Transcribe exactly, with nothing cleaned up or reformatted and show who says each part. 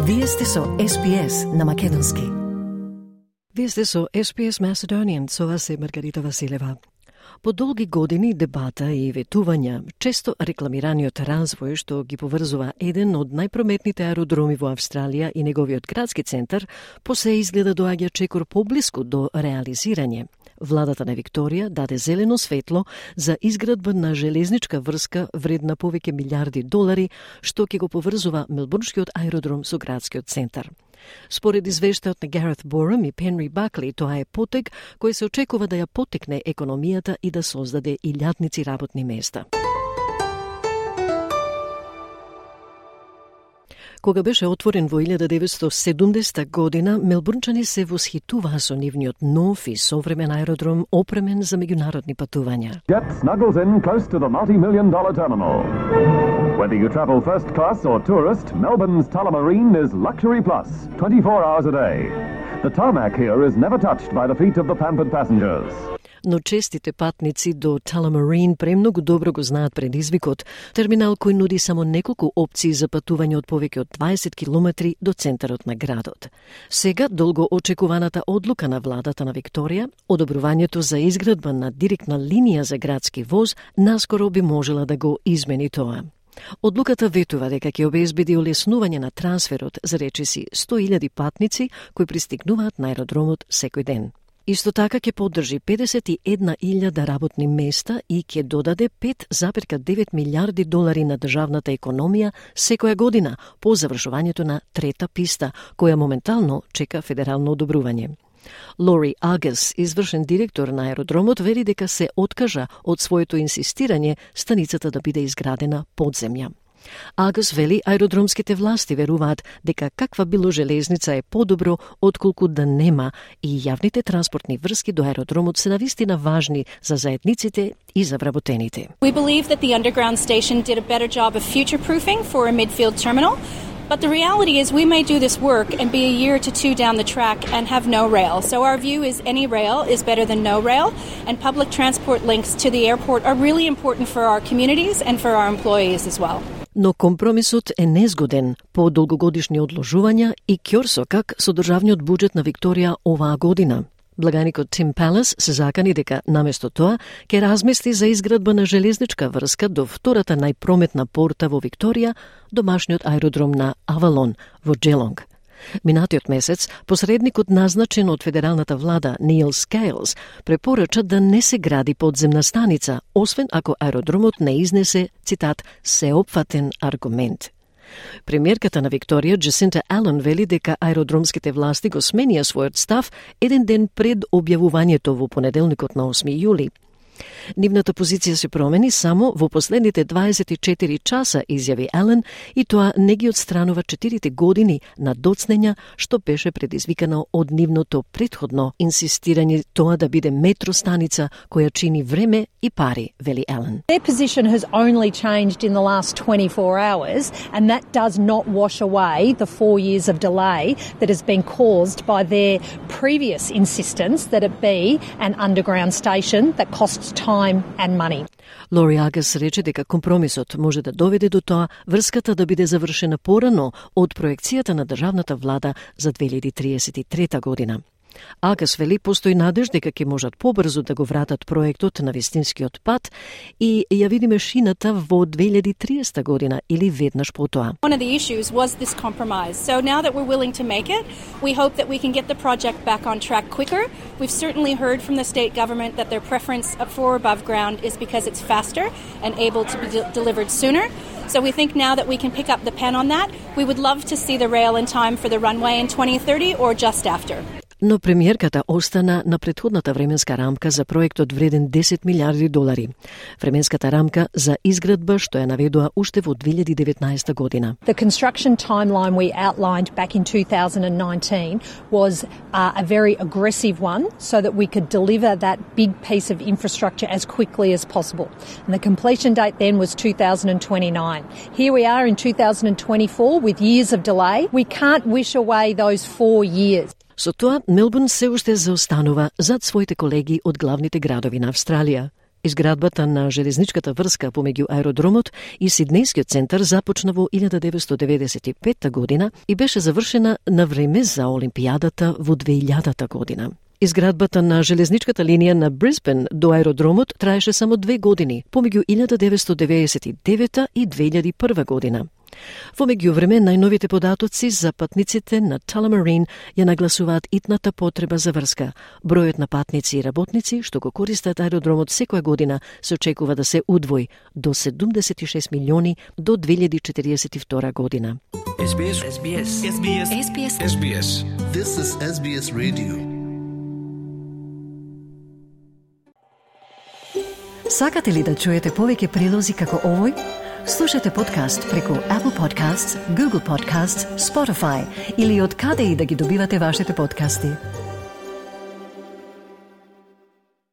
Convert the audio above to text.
Speaker 1: Вие сте со Ес Би Ес на македонски. Вие сте со Ес Би Ес Macedonian, со вас е Маргарита Василева. По долги години дебата и ветувања, често рекламираниот развој што ги поврзува еден од најпрометните аеродроми во Австралија и неговиот градски центар, посе изгледа доаѓа чекор поблиску до реализирање. Владата на Викторија даде зелено светло за изградба на железничка врска вредна повеќе милиарди долари, што ќе го поврзува Мелбурнскиот аеродром со градскиот центар. Според извештајот на Гарет Борам и Пенри Бакли, тоа е потек кој се очекува да ја потекне економијата и да создаде илјадници работни места. Кога беше отворен во илјада деветстотини и седумдесета година, мелбурнчани се восхитуваа со нивниот нов и современ аеродром опремен за меѓународни патувања.
Speaker 2: Jet snuggles in close to the multi-million dollar terminal. Whether you travel first class or tourist, Melbourne's Tullamarine is luxury plus, twenty-four hours a day. The tarmac here is never touched by the feet of the pampered passengers.
Speaker 1: Но честите патници до Tullamarine премногу добро го знаат предизвикот, терминал кој нуди само неколку опции за патување од повеќе од дваесет километри до центарот на градот. Сега, долго очекуваната одлука на владата на Викторија, одобрувањето за изградба на директна линија за градски воз, наскоро би можела да го измени тоа. Одлуката ветува дека ќе обезбеди олеснување на трансферот за речиси сто илјади патници кои пристигнуваат на аеродромот секој ден. Исто така ќе поддржи педесет и една илјада работни места и ќе додаде пет зарез девет милиарди долари на државната економија секоја година по завршувањето на трета писта, која моментално чека федерално одобрување. Лори Агас, извршен директор на аеродромот, вели дека се откажа од своето инсистирање станицата да биде изградена под земја. Агас вели аеродромските власти веруваат дека каква било железница е подобро отколку да нема и јавните транспортни врски до аеродромот се навистина важни за заедниците и за вработените.
Speaker 3: We believe that the underground station did a better job of future-proofing for a midfield terminal. But the reality is we may do this work and be a year to two down the track and have no rail. So our view is any rail is better than no rail, and public transport links to the airport are really important for our communities and for our employees as well.
Speaker 1: Но компромисот е незгоден по долгогодишни одложувања и ќорсокак со државниот буџет на Викторија оваа година. Благаникот Тим Палас се закани дека наместо тоа ќе размисли за изградба на железничка врска до втората најпрометна порта во Викторија, домашниот аеродром на Авалон во Джелонг. Минатиот месец, посредникот назначен од федералната влада Нил Скейлс препорача да не се гради подземна станица, освен ако аеродромот не изнесе, цитат, сеопфатен аргумент. Премиерката на Викторија, Джасинта Ален, вели дека аеродромските власти го сменија својот став еден ден пред објавувањето во понеделникот на осми јули. Нивната позиција се промени само во последните дваесет и четири часа, изјави Ален, и тоа не ги отстранува четирите години на доцнења што беше предизвикано од нивното претходно инсистирање тоа да биде метростаница која чини време и пари, вели Ален.
Speaker 4: Their position has only changed in the last twenty-four hours, and that does not wash away the four years of delay that has been caused by their previous insistence that it be an underground station that costs time and money.
Speaker 1: Лори Агас рече дека компромисот може да доведе до тоа врската да биде завршена порано од проекцијата на државната влада за две илјади триесет и трета година. Агас вели постои надеж дека ќе можат побрзо да го вратат проектот на вистинскиот пат и ја видиме шината во две илјади триесета година или веднаш потоа.
Speaker 3: One of the issues was this compromise. So now that we're willing to make it, we hope that we can get the project back on track quicker. We've certainly heard from the state government that their preference for above ground is because it's faster and able to be de- delivered sooner. So we think now that we can pick up the pen on that. We would love to see the rail in time for the runway in twenty thirty or just after.
Speaker 1: Но премиерката остана на претходната временска рамка за проектот вреден десет милиарди долари. Временската рамка за изградба што ја наведоа уште во две илјади деветнаесета година.
Speaker 4: The construction timeline we outlined back in two thousand nineteen was uh, a very aggressive one so that we could deliver that big piece of infrastructure as quickly as possible. And the completion date then was two thousand twenty-nine. Here we are in two thousand twenty-four with years of delay. We can't wish away those four years.
Speaker 1: Со тоа, Мелбурн се уште заостанува зад своите колеги од главните градови на Австралија. Изградбата на железничката врска помеѓу аеродромот и Сиднејскиот центар започна во илјада деветстотини деведесет и петта година и беше завршена на време за Олимпијадата во две илјадата година. Изградбата на железничката линија на Брисбен до аеродромот траеше само две години, помеѓу илјада деветстотини деведесет и девета и две илјади и прва година. Во меѓувреме, најновите податоци за патниците на Tullamarine ја нагласуваат итната потреба за врска. Бројот на патници и работници што го користат аеродромот секоја година се очекува да се удвои до седумдесет и шест милиони до две илјади и четириесет и втора година.
Speaker 5: Ес Би Ес. Ес Би Ес. Ес Би Ес. Ес Би Ес. Ес Би Ес.
Speaker 6: This is Ес Би Ес Radio.
Speaker 1: Сакате ли да чуете повеќе прилози како овој? Слушате подкаст преку Apple Podcasts, Google Podcasts, Spotify или од каде и да ги добивате вашите подкасти.